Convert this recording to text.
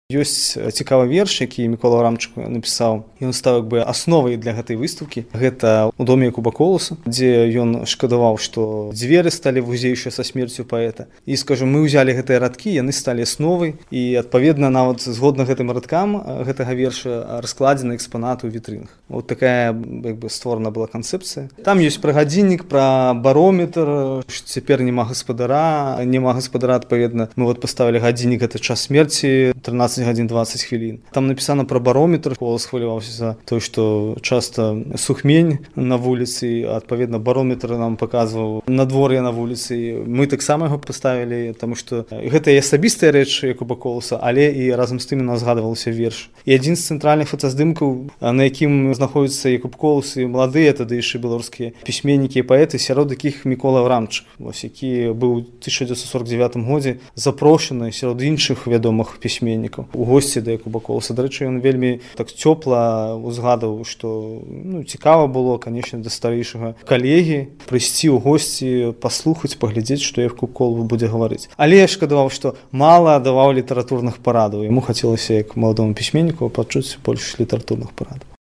Ёсць цікавы верш, які Мікола Аврамчук напісаў. Ён стаў як бы асновай для гэтай выстаўкі. Гэта ў доме Якуба Коласа, дзе ён шкадаваў, што дзверы сталі вузейшыя са смерцю паэта. І скажу, мы ўзялі гэтыя радкі, яны сталі асновай і адпаведна нават згодна гэтым радкам гэтага верша раскладзены экспанаты ў вітрынах. Вот такая як бы створана была канцэпцыя. Там ёсць пра гадзіннік, пра барометр, што цяпер няма гаспадара, адпаведна. Мы вот паставілі гадзіннік, гэта час смерці, 13 гадзін 20 хвілін. Там напісана пра барометр, Колас хваляваўся за тое, што часта сухмень на вуліцы, адпаведна барометр нам паказваў надвор'е на вуліцы. Мы таксама яго паставілі, таму што гэта і асабістая рэч Якуба Коласа, але і разам з тым нас згадваўся верш. І адзін з цэнтральных фотаздымкаў, на якім знаходзіцца Якуб Колас і маладыя тады яшчэ беларускія пісьменнікі і паэты, сярод якіх Мікола Аврамчук, які быў у 1949 годзе запрошаны сярод іншых вядомых пісьменнікаў у госці да Якуба Коласа. Дарэчы, ён вельмі так цёпла узгадаў, што цікава было, канечне, да старэйшага калегі прыйсці ў госці, паслухаць, паглядзець, што Якуб Колас будзе гаварыць. Але я шкадаваў, што мала даваў літаратурных парадаў. Яму хацелася, як маладому пісьменніку, пачуць больш літаратурных парадаў.